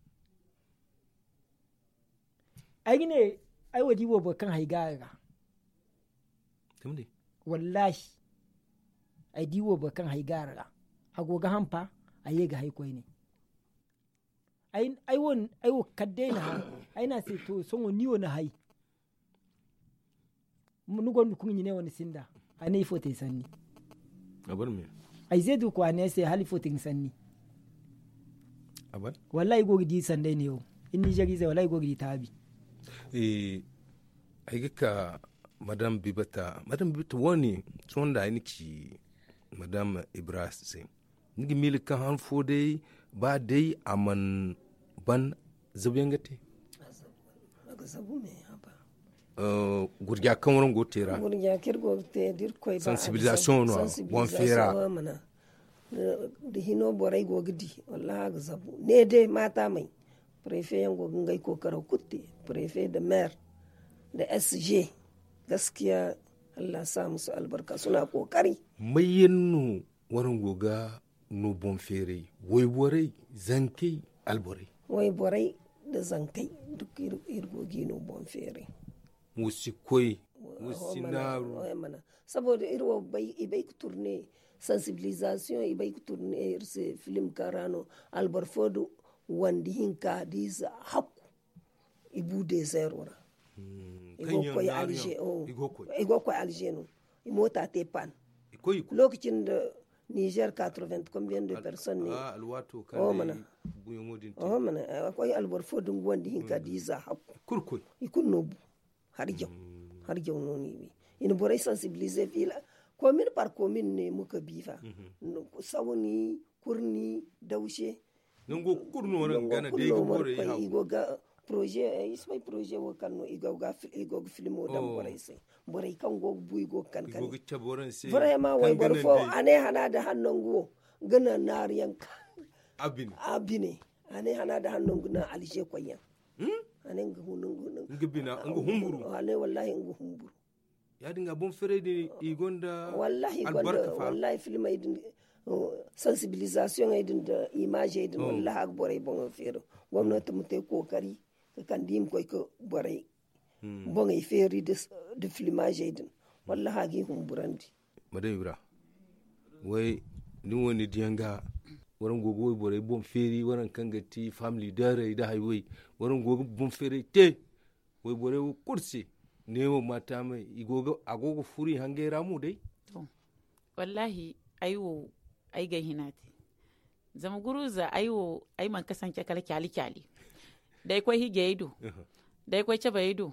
Ay ga ne ay wo di wayboro kaŋ hay gaara ra. Wallahi ay di wayboro kaŋ hay gaara ra a go ga hampa a ye ga hay koyne. Ay wo kala day na hay ay ne a se to sohõ ni wo na hay. Ni gonda kurɲe ne wane sinda a ne ifo te sanni. A bar me. Ay ze du kwaane se hala ifo ti ga ni sanni. Wallahi i go ga di sanday ne wo. Iri nizer izey wallahi i go ga di taabi. Ay ga ka madam bibata madam bibata wo- ne sohõ da ay na ci madam ibra se. Ni ga miila kaŋ han fo day ba day a mana ban zabu yaŋ ga te. Gurja kaŋ waraŋ go ga te ra. Gurja kaŋ iri go ga te da irkoy ba a ga zabu. Sansibilizasiyoŋ no a boŋ feera. Da hino borey go ga di wallahi a ga zabu ne day maata may. Prefe yaŋ go ga ngey kookaro kulu te. Prefe nda meer nda sg. Gaskiya allah sa musu albarka suna kookari. May yaŋ no waraŋ go ga no boŋ feeray? Wayborey, zankey, alborey. Wayborey nda zankey duk iri go ga i no boŋ feeray. Wo si koy. Wo si naaru. Saboda iri wo i bay ga turne sansibilizasiyoŋ i bay ga turne iri se filim kaŋ ra no alboro fo da wande hinka da ize hakku. I bu dezeero ra. I go ga koy alje. I go ga koy alje no. I moota te paan. Lokaci nda nizer quatre-vingt combien de personnes ne? Oho mana. Oho mana a koy alboro fo da nga wande hinka da ize hakku. I kulu no bu. Har jaw no no i wi i na borey sansibilize fiila. Komin par komin ne muka bi fa. Sawni, kurni, dawse. Nango kulu no waraŋ gana day ga borey haw. I go ga proze ay si bay proze wo kaŋ no i go ga filmo daŋ borey se. Borey kaŋ go ga bu i go ga kankane. Borey ma wayboro fo a ne hana da han nangu wo ga naŋ naaru yaŋ ka a bine. A ne hana da han nangu naŋ alje koy yaŋ. A ne nga humburu. A ne wallahi nga humburu. Ya- din ga boŋ feeray din i gonda wallahi filmey din. Sansibilizasiyoŋey din nda imazey din wallahi a ga borey boŋo feeri. Gomnati ma te kookari ga kande i ma koy ga borey boŋey feeri nda filmazey din. Wallahi a ga i humburandi. Madam ibra, way, ni wo ni diyaŋ ga waraŋ go ga wayborey boŋ feeri waraŋ kaŋ ga ti famili deerey nda hayway, waraŋ go ga boŋ feeray te. Wayborey wo kulu se neewo ma taamay i go ga a go ga furo i hangey ra mo day. Wallahi, ay wo ay gay hina te. Zama guruza ay wo ay mana kasance kala caali caali. Da ay koy hijayey do, da ay koy cabayey do,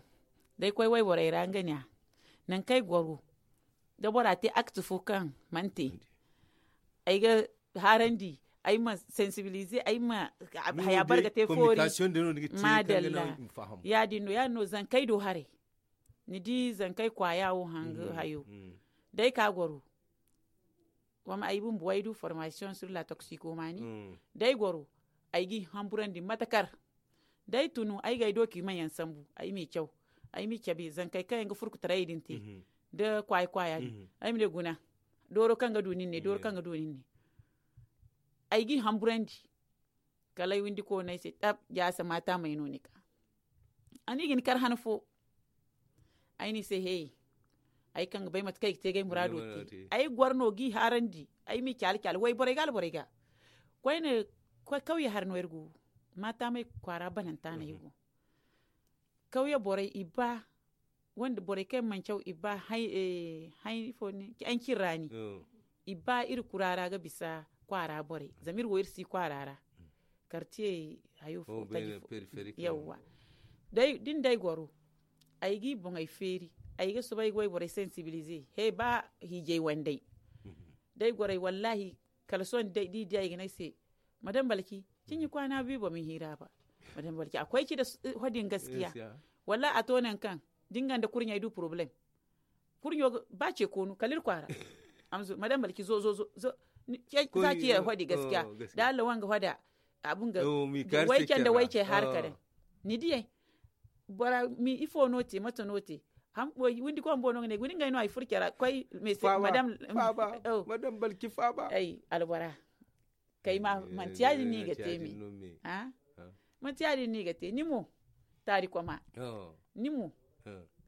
da ay koy wayborey ra nga ne a nangu kaŋ ay goro. Da bora te akti fo kaŋ mana te, ay ga haarandi ay ma sansibilize ay ma haya barga te foori. Madalla. Ya- din no ya- din no zankey do haray. Ni di zankey kwaaya wo hanga hayo. Day ka goro, wama ay bumbo ay du formasiyoŋ sur la toksikomani. Day goro, ay ga i hamburandi matakar. Day tunu ay ga ay dooki ma yaŋ sambu ay m'i caw, ay m'i cabe zankey kaŋ yaŋ ga furkutaray din te, da kwaaya kwaaya din ay ma ne guna. Dooro kaŋ ga du nin ne dooro kaŋ ga du nin ne. Ay g'i hamburandi. Kala ay windi koonay se tab jaasa maata may no ni ka. A ni ga ni kar han fo. Ay ni se he. Ay kaŋ ga bay mate kaŋ ay ga te ga ay muraado te ay goro no g'i haarandi. Ay m'i caali caali wayborey ga alborey ga koyne. Kawye har no iri go maata may kwaara bananta no ay go. Kawye borey i ba wanda borey kaŋ yaŋ mancaw i ba hay fo ne ci ancin raani. I ba iri kura ra ga bisa kwaara borey zama iri wo iri si kwaara ra. Kartiyey hayo fo taji fo. Yawwa. Da ni day goro ay g'i boŋey feeri. Ay ga soobay ga wayborey sensibilize he ba hiijay wandey. Day gorey wallahi kala sohõ da i di ay ga ne ay se. Madame balki ciɲi kwaana biibo ma hiira ba. Madame balki a koy ci da hodin gaskiya. Wallahi a to nankaŋ da nga nda kurɲey du poroblem. Kurɲo ba ce koonu kala iri kwaara. Madame balki zo zo zo. Za ci ya hodi gaskiya da allah wanga hoda. Abun ga wayce nda wayce har kare. Ni diyay bora mi ifo no te mate no te. Windi ko bumbo no ga ne guni ngey no ay furo care koy mesi madam. Madam balki faaba. Ay albora kay ma manti ya- din no i ga te me. Manti ya- din no i ga te ni mo taari koma. Ni mo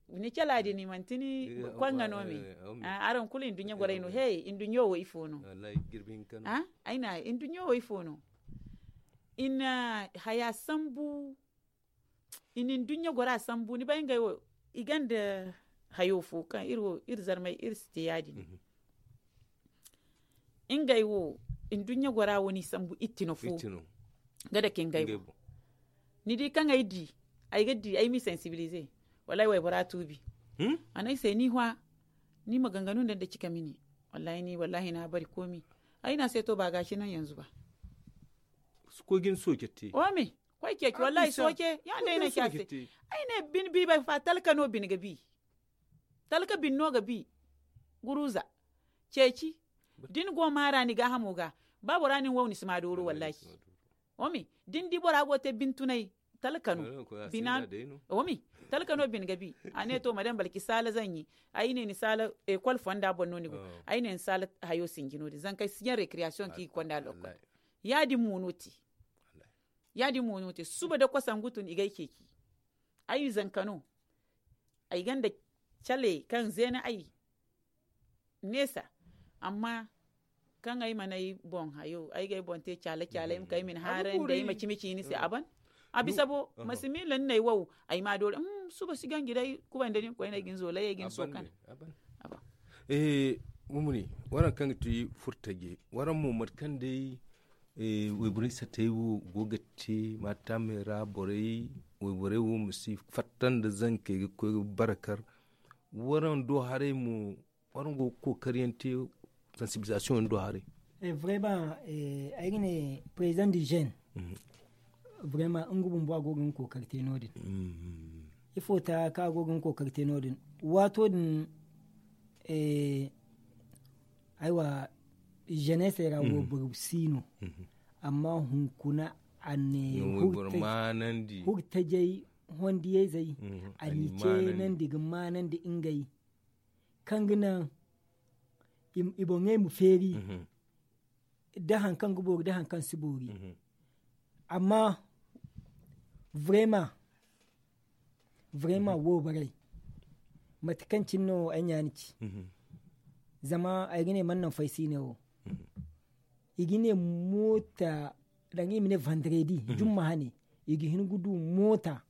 ni cala din i manti ni konga no me. Araŋ kulu nduɲɲa goray no he nduɲɲo wo ifo no? Ay na nduɲɲo wo ifo no? I na haya sambu. I na nduɲɲa gora sambu ni bay ngey wo i gonda hayo fo kaŋ iri wo iri zarmay iri si te ya- din. ngey wo, nduɲɲa gora wo ni sambu ittino fo ga dake ngey wo. Ni di kaŋ ay di ay ga di ay m'i sensibilize. Wallahi waybora tuubi. A ne ay se ni hwa, ni ma ganganu nda nda cika mini. Wallahi ni wallahi na bari koomi. Ay ne a se to ba ga ci naŋ yanzu ba. Koy ga ni sooce te. Koy ceeci wallahi sooce. Ya day na ci a se. Ay ne bine biibay fa talka no bine ga bi. Talka bine no ga bi. Guruza, ceeci. Da ni go maara ni gaahamo ga, ba bora na ni wow ni si ma dooro wallahi. Omi, da ni di bora go ga te bine tunay, talka no. Bina. Omi, talka no bine ga bi. A ne to madam balki saala zanɲi. Ay ne ni saala ekol fonda boŋ no ni go. Ay ne ni saala hayo sinji no- din zankey si yaŋ rekriyasiyoŋ kaŋ i ga konda lokol. Ya- din mo no te. Ya-din mo no te suba da kosa ngu tun i ga ay ceeci. Ay zanka no. Ay gonda cale kaŋ zeena ay neesa. Amma kaŋ ay mana ay boŋ hayo ay ga ay boŋ te caala caala ay ma kay ma ni haarandi ay ma cimi ciini se a ban. A bisa bo ma si miila ni na ay wow. Ay ma doori suba si ganji day kubay nda ni koyne ay ga ni zoolay ay ga ni sookan. Mumuni, waraŋ kaŋ ga ti furtaje waraŋ mo mate kaŋ day wayborey satey wo go ga te maataamey ra borey, wayborey wo ma si fatta nda zankey ga koy ga barakar. Waraŋ do haray mo waraŋ go ga kookariyaŋ te sansibilisasiyoŋ do haray. Ay ga ne prezan di zen vrema nga bumbo a go ga nga kookari te no- din. Ifo ta kaŋ a go ga nga kookari te no- din waato din. Aywa, zenesey ra wo boro si no. Amma hunkuna a ne hurtajey hondiyayzey a n'i ceenandi ga maanandi ngey kaŋ ga naŋ i boŋey ma feeri da hari kaŋ ga boori da hari kaŋ si boori. Amma vrema vrema wooborey mate kaŋ cine no ay ɲaani ci. Zama ay ga ne mana naŋ fay si ne wo i ga ne moota danga i ma ne vandaredi jumma hane i ga hin ga du moota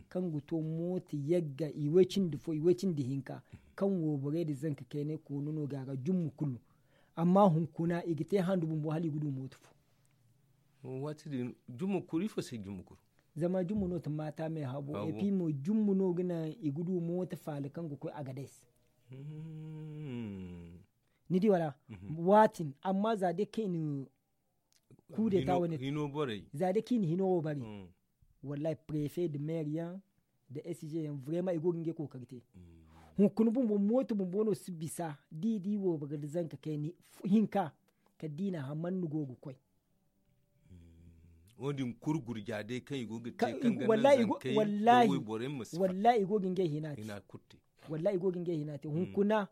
kaŋ ga to moota yagga i way cindi fo i way cindi hinka kaŋ wooborey nda zanka kayne koonu no ga a ga jumma kulu. Amma hunkuna i ga te handu bumbo hala i ga du moota fo. Waati din jumma kuru ifo se jumma kuru? Zama jumma no ti maata me habo epi mo jumma no ga naŋ i ga du moota faala kaŋ ga koy a ga day se. Ni di wala? Waatin amma za day kaŋ i na kuudeta wane za day kaŋ i na hino wo bari. Wallahi prefe nda meeri yaŋ nda sg yaŋ vrema i go ga ngey kookari te. Hunkuna bumbo mooto bumbo no si bisa da i di wo baga nda zanka kayna hinka kala da i na a haman ni go ga koy. Wo- din kulu gurja day kaŋ i go ga te kaŋ ga naŋ zankey da wayborey ma si fatta. Wallahi i go ga ngey hina te. Wallahi i go ga ngey hina te hunkuna.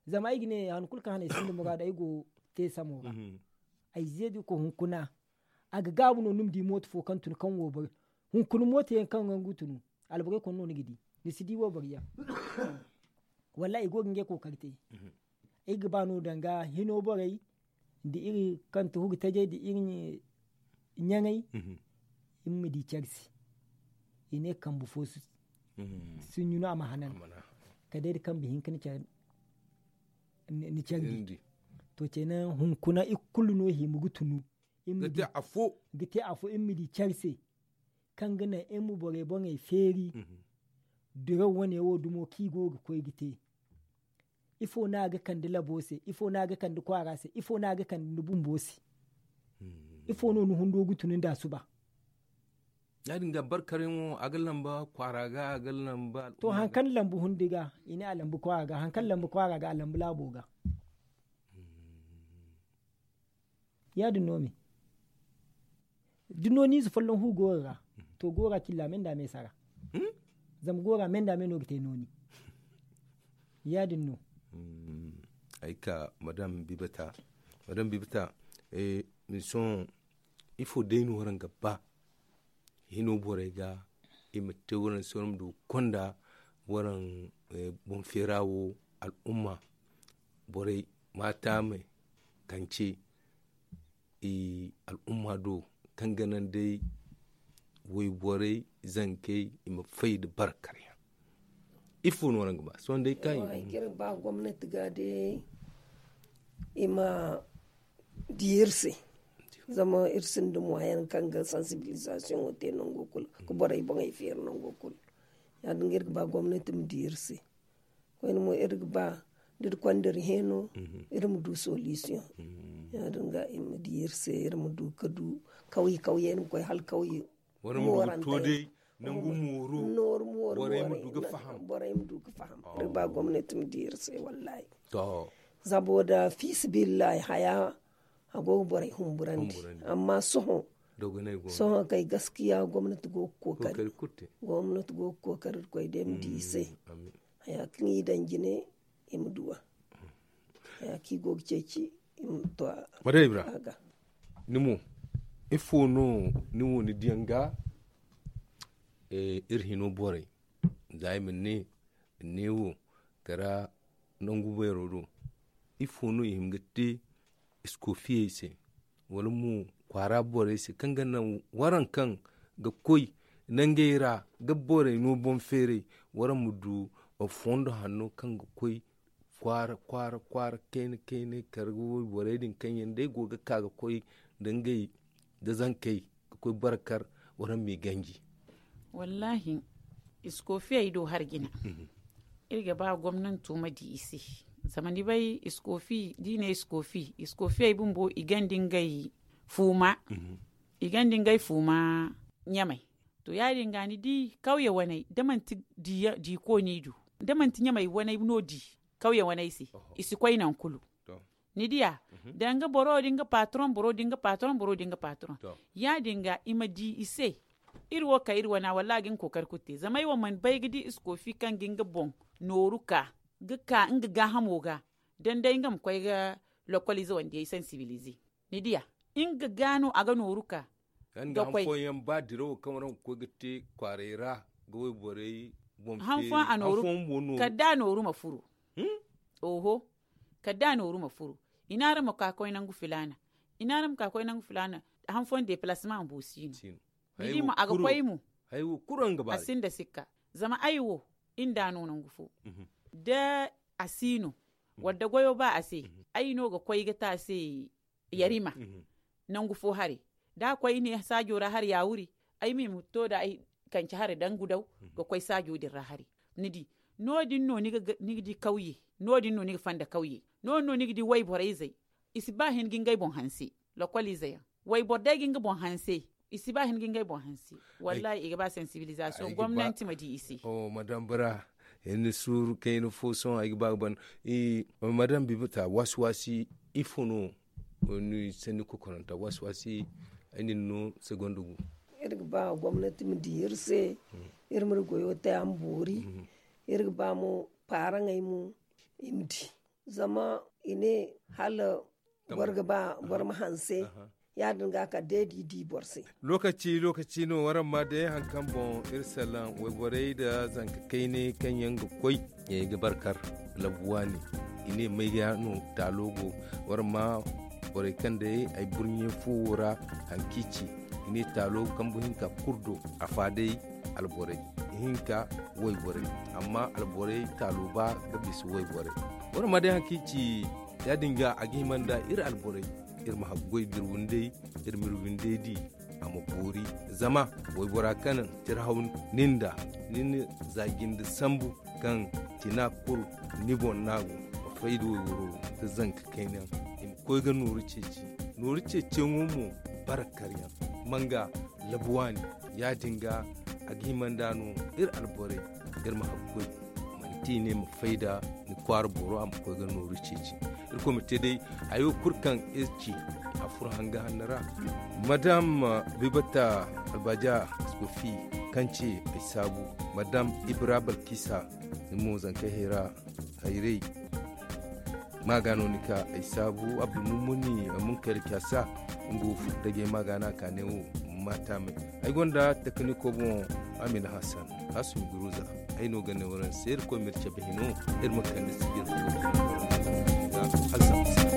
Zama ay ga ne han kulu kaŋ hane ay sinda muraadu ay go te samo ra. Ay zeedi ko hunkuna a ga gaabu no ni ma di mooto fo kaŋ tun kaŋ wo boro hunkuna mooto yaŋ kaŋ ga tunu alborey kono no ni ga di. Ni si di wo boro yaŋ. Wallahi i go ga ngey kookari te. Ay ga ba no danga hino borey nda iri kaŋ ti huru tajey nda iri ɲaŋey. Iri ma di care se i ne kambe fo si ɲunu a ma hanan. Kala day da kambe hinka ni care di. To ceenaŋ hunkuna i kulu no hima ga tunu ga te afo iri ma di care se kaŋ ga naŋ iri ma borey boŋey feeri. Diraw wane wo dumo kaŋ i go ga koy ga te ifo no a ga kande labo se ifo no a ga kande kwaara se ifo no a ga kande ni bumbo se? Ifo no ni hundo ga tun nda suba? Ya- din ga barkariyaŋo a ga lamba kwaara ga a ga lamba to hari kaŋ lambu hundi ga i ne a lambu kwaara ga hari kaŋ lambu kwaara ga a lambu laabo ga. Ya- din no me da no ni ize folloŋ fu gooro ra to goora cilla me nda me sara. Zama goora me nda me no ga te nooni. Ya- din no. Ay ka madam bibata madam bibata. Sohõ ifo day no waraŋ ga ba hino borey ga i ma te waraŋ se waraŋ ma du ga konda waraŋ boŋ feera wo al'umma borey maataamey kance i al'umma do kaŋ ga naŋ day wayborey zankey i ma fay nda barkaryaŋ. Ifo no waraŋ ga ba sohõ day kaŋ ay ga iri ba gomnati ga day i ma di iri se. Zama iri sinda moyen kaŋ ga sansibilisasiyoŋo te nango kulu, ka borey boŋey feeri nango kulu. Ya- din ga iri ga ba gomnati ma di iri se. Koyne mo iri ga ba da iri konda iri hẽ no, iri ma du solisiyoŋ. Ya- din ga i ma di iri se, iri ma du ka du kawye kawye iri ma koy hala kawye. Nooru mooru mooru borey ma du ga faham. Iri ga ba gomnati ma di iri se wallahi. Saboda fi sabilillahi haya a go ga borey humburandi. Amma sohõ sohõ kay gaskiya gomnati go ga kookari. Gomnati go ga kookari iri koy day ma di i se. Haya kaŋ i daŋ jine i ma duw'a. Haya kaŋ i go ga ceeci i ma to a ga. Ni mo ifo no ni wo ni diyaŋ ga iri hino borey za i ma ne neewo kara nangu beero do. Ifo no i hin ga te iskofiyey se wala mo kwaara borey se kaŋ ga naŋ waraŋ kaŋ ga koy nangey ra ga borey no boŋ feeray waraŋ ma du fondo hanno kaŋ ga koy kwaara kwaara kwaara kayna kaynay kara ga wayborey din kaŋ yaŋ day go ga ka ga koy nda ngey nda zankey ga koy barkar waraŋ m'i ganji. Wallahi iskofiyey do hari jina iri ga ba gomnanto ma di i se. Zama ni bay iskofi da i ne iskofi iskofiyey bumbo i ganda ngey fuuma i ganda ngey fuuma ɲamay. To ya- din ga ni di kawye waney da manti di kooni du da manti ɲamay waney no di kawye waney se i si koy naŋ kulu. Ni diya danga boro din ga patron boro din ga patron boro din ga patron. Ya- din ga i ma di i se iri wo ka iri wana walla a ga nga kookari kulu te zama ay wo mana bay ga di iskofi kaŋ ga nga boŋ nooru ka ga ka nga gaahamo ga dan day nga ma koy ga lokolize wandiyey sansibilize. Ni diya nga ga no a ga nooru ka ga koy. Ba dirawo kaŋ waraŋ ga koy ga te kwaaray ra ga wayborey boŋ feeri hanfooyaŋ a nooru kala da a nooru ma furo. Oho kala da a nooru ma furo i ne araŋ ma ka koy nangu filaana. I ne araŋ ma ka koy nangu filaana hanfooyaŋ depalasma ma boosi no. Ni di mo a ga koy mo a sinda sikka. Zama ay wo iri nda a no nangu fo da a si no wadda goyo ba a se ay no ga koy ga te a se yarima. Nangu fo haray da a koy i ne saajo ra haray ya wuri ay ma i ma to da ay kanci haray dangu daw ga koy saajo din ra haray. Ni di no- din no ni ga di kawye no- din no ni ga fanda kawye no- din no ni ga di wayborey zey. I si ba hin ga ngey boŋ hanse lokolize yaŋ wayboro day ga nga boŋ hanse. I si ba hin ga ngey boŋ hanse. Wallahi i ga ba sansibilizasiyoŋ gomnanti ma di i se. Madam bara iri na suuru kayna fo sohõ ay ga ba ga ban madam bibata waasi waasi ifo no ni sanni kokoranta waasi waasi ay na ni no segonda gu. Iri ga ba gomnati ma di iri se iri ma iri goyo te a ma boori. Iri ga ba mo paaraŋey mo i ma di zama i ne hala boro ga ba boro ma hanse. Ya- din ga kala day da i di boro se. Lokaci lokaci no waraŋ ma day hari kaŋ boŋ iri salaŋ wayborey nda zanka kaynay kaŋ yaŋ ga koy ga barkar labu waani. I ne may ga no taalo go waraŋ ma borey kaŋ day ay burɲe fo wo ra hari kaŋ i ci i ne taalo kambu hinka kulu do a fa day alborey ihinka wayborey amma alborey taalo ba ga bisa wayborey. Waraŋ ma day hari kaŋ i ci ya- din ga a ga hima nda iri alborey iri ma haggoy da iri windey iri ma iri windey di a ma boori. Zama waybora kaŋ tira haw ni nda ni na za jinde sambu kaŋ tina kulu ni boŋ no a go ma fay da wayboro da zanka kayna i ma koy ga nooru ceeci. Nooru ceeciyaŋo mo bara karyaŋ manga labu waani. Ya- din ga a ga hima nda no iri alborey iri ma haggoy manti i ne ma fay da ni kwaara boro a ma koy ga nooru ceeci. Irkoy ma te day hayo kulu kaŋ iri ci a furo hanga hanno ra. Madam bibata albaaja iskofi kaŋ ce ay saabu madam ibra balkisa ni mo zankey hayra hayray. Ma ga no ni ka ay saabu abdulmumuni munkari kyasa nga wo furo dage ma ga no a ka ne wo mata me. Ay gonda takaniko boŋ amina hassan hasumi guruza. Ay no ga ne waraŋ se irkoy ma iri cabe hino iri ma kande sijir fo. Alzam.